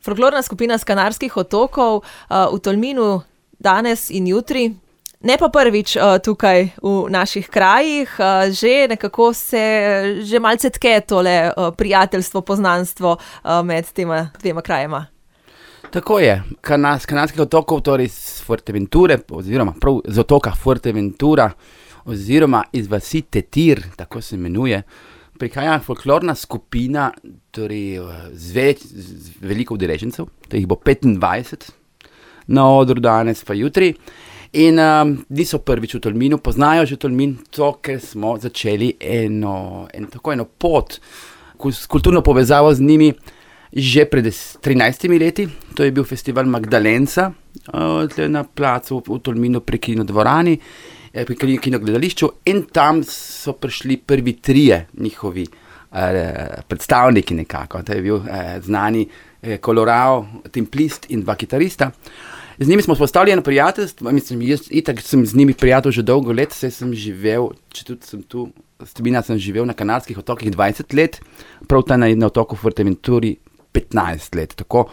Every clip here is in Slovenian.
Folklorna skupina s Kanarskih otokov v Tolminu danes in jutri. Ne pa prvič tukaj v naših krajih, že nekako se že malce tke tole prijateljstvo, poznanstvo med tema dvema krajema. Tako je. S Kanarskih otokov, torej z Fuerteventure, oziroma prav z otoka Fuerteventura, oziroma iz vasi Tetir, tako se imenuje, prihaja folklorna skupina, torej z veliko udeležencev, to jih bo 25 na odru danes pa jutri. In so prvič v Tolminu, poznajo že Tolmin, to, ker smo začeli eno pot, kulturno povezavo z njimi že pred 13 leti. To je bil festival Magdalenca na placu v Tolminu pri kinodvorani, pri kinogledališču, in tam so prišli prvi trije njihovi predstavniki nekako. To je bil znani kolorao, templist in dva kitarista. Z njimi smo vzpostavili eno prijateljstvo, jaz itak sem z njimi prijatelj že dolgo let, saj sem živel, če tudi sem tu, sem živel na Kanarskih otokih 20 let, prav ta na otoku Fuerteventuri 15 let, tako.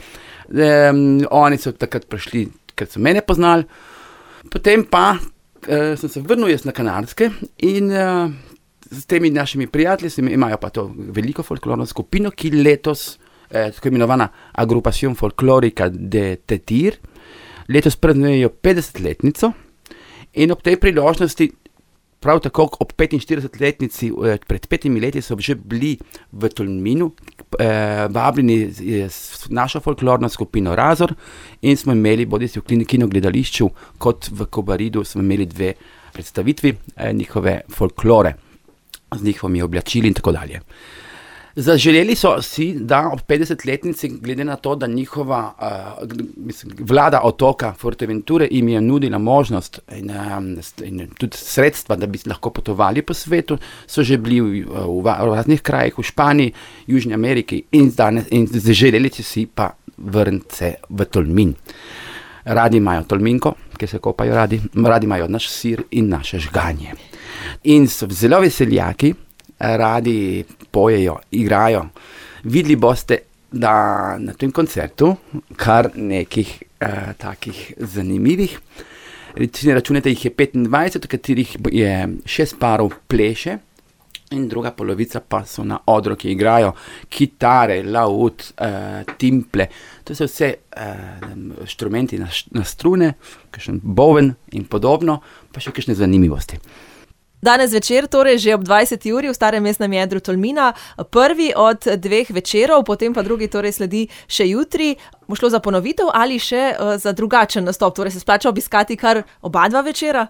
Oni so takrat prišli, ker so mene poznali, potem pa sem se vrnil jaz na Kanarske in s temi našimi prijatelji imajo pa to veliko folklorno skupino, ki letos, tako imenovana Agrupación Folclórica de Tetir, letos praznujejo 50-letnico in ob tej priložnosti, prav tako ob 45-letnici, pred 5 leti so že bili v Tolminu vabljeni s našo folklorno skupino Razor in smo imeli bodisi v kinogledališču kot v Kobaridu smo imeli 2 predstavitvi njihove folklore z njihovimi oblačili in tako dalje. Zaželeli so si, da ob 50-letnici, glede na to, da njihova vlada otoka Fuerteventure jim je nudila možnost in tudi sredstva, da bi lahko potovali po svetu, so že bili v raznih krajih, v Španiji, Južni Ameriki in zaželeli si pa vrniti se v Tolmin. Radi imajo Tolminko, ki se kopajo radi imajo naš sir in naše žganje. In so zelo veseljaki, radi pojejo, igrajo. Videli boste, da na tem koncertu kar nekih takih zanimivih. Računajte, jih je 25, od katerih je 6 parov pleše in druga polovica pa so na odru, ki igrajo kitare, laud, timple. To so vse inštrumenti na strune, kakšen boven in podobno, pa še kakšne zanimivosti. Danes večer, torej že ob 20. uri v starem mestnem jedru Tolmina, prvi od 2 večerov, potem pa drugi torej sledi še jutri. Bo šlo za ponovitev ali še za drugačen nastop? Torej se splača obiskati kar oba 2 večera?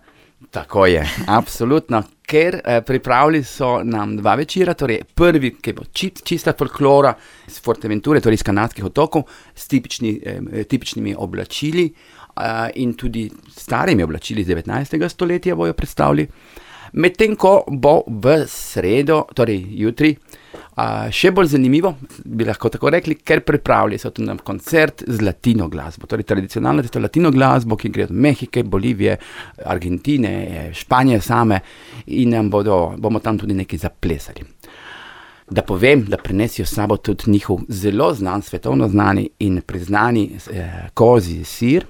Tako je, absolutno, ker pripravili so nam 2 večera, torej prvi, ki bo čista folklora iz Fuerteventure, torej iz Kanarskih otokov, s tipičnimi oblačili in tudi starimi oblačili iz 19. stoletja bojo predstavili. Medtem ko bo v sredo, torej jutri, še bolj zanimivo, bi lahko tako rekli, ker pripravili so tudi nam koncert z latino glasbo, torej tradicionalno latino glasbo, ki gre od Mehike, Bolivije, Argentine, Španije same in bomo tam tudi nekaj zaplesali. Da povem, da prinesijo s sabo tudi njihov zelo znan, svetovno znani in priznani kozji sir,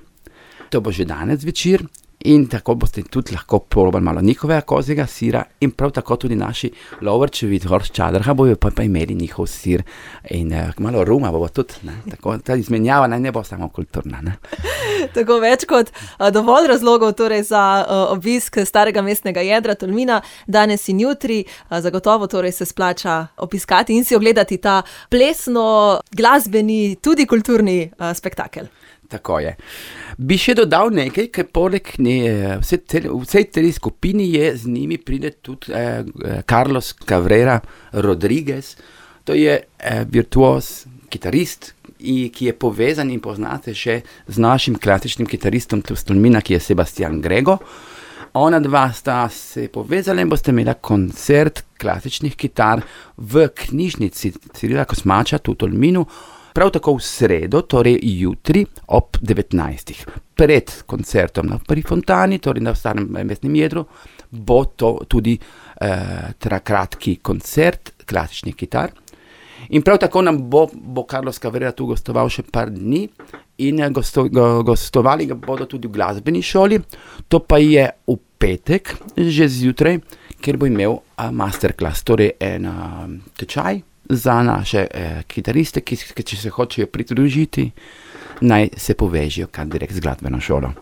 to bo že danes večer. In tako boste tudi lahko probali malo njihovega kozjega sira in prav tako tudi naši lovrčevi iz Horst Čadrha bojo pa imeli njihov sir in malo ruma bo tudi, ne? Tako ta izmenjava ne bo samo kulturna. Ne? Tako več kot dovolj razlogov torej za obisk starega mestnega jedra Tolmina danes in jutri. Zagotovo torej se splača obiskati in si ogledati ta plesno, glasbeni, tudi kulturni spektakel. Tako je. Bi še dodal nekaj, ker poleg vsej tej skupini z njimi pride tudi Carlos Cabrera Rodriguez. To je virtuoz, kitarist, ki je povezan in poznate še z našim klasičnim kitaristom iz Tolmina, ki je Sebastian Grego. Ona 2 sta se povezala in boste imela koncert klasičnih kitar v knjižnici Cirila Kosmača tu v Tolminu. Prav tako v sredo, torej jutri ob 19. Pred koncertom na Prvi fontani, torej na starem mestnem jedru, bo to tudi kratki koncert klasičnih kitar. In prav tako nam bo Carlos Cabrera tu gostoval še par dni in gostovali ga bodo tudi v glasbeni šoli. To pa je v petek, že zjutraj, kjer bo imel masterclass, torej en tečaj za naše kitariste, ki če se hočejo pridružiti, naj se povežejo kar direkt z glasbeno šolo.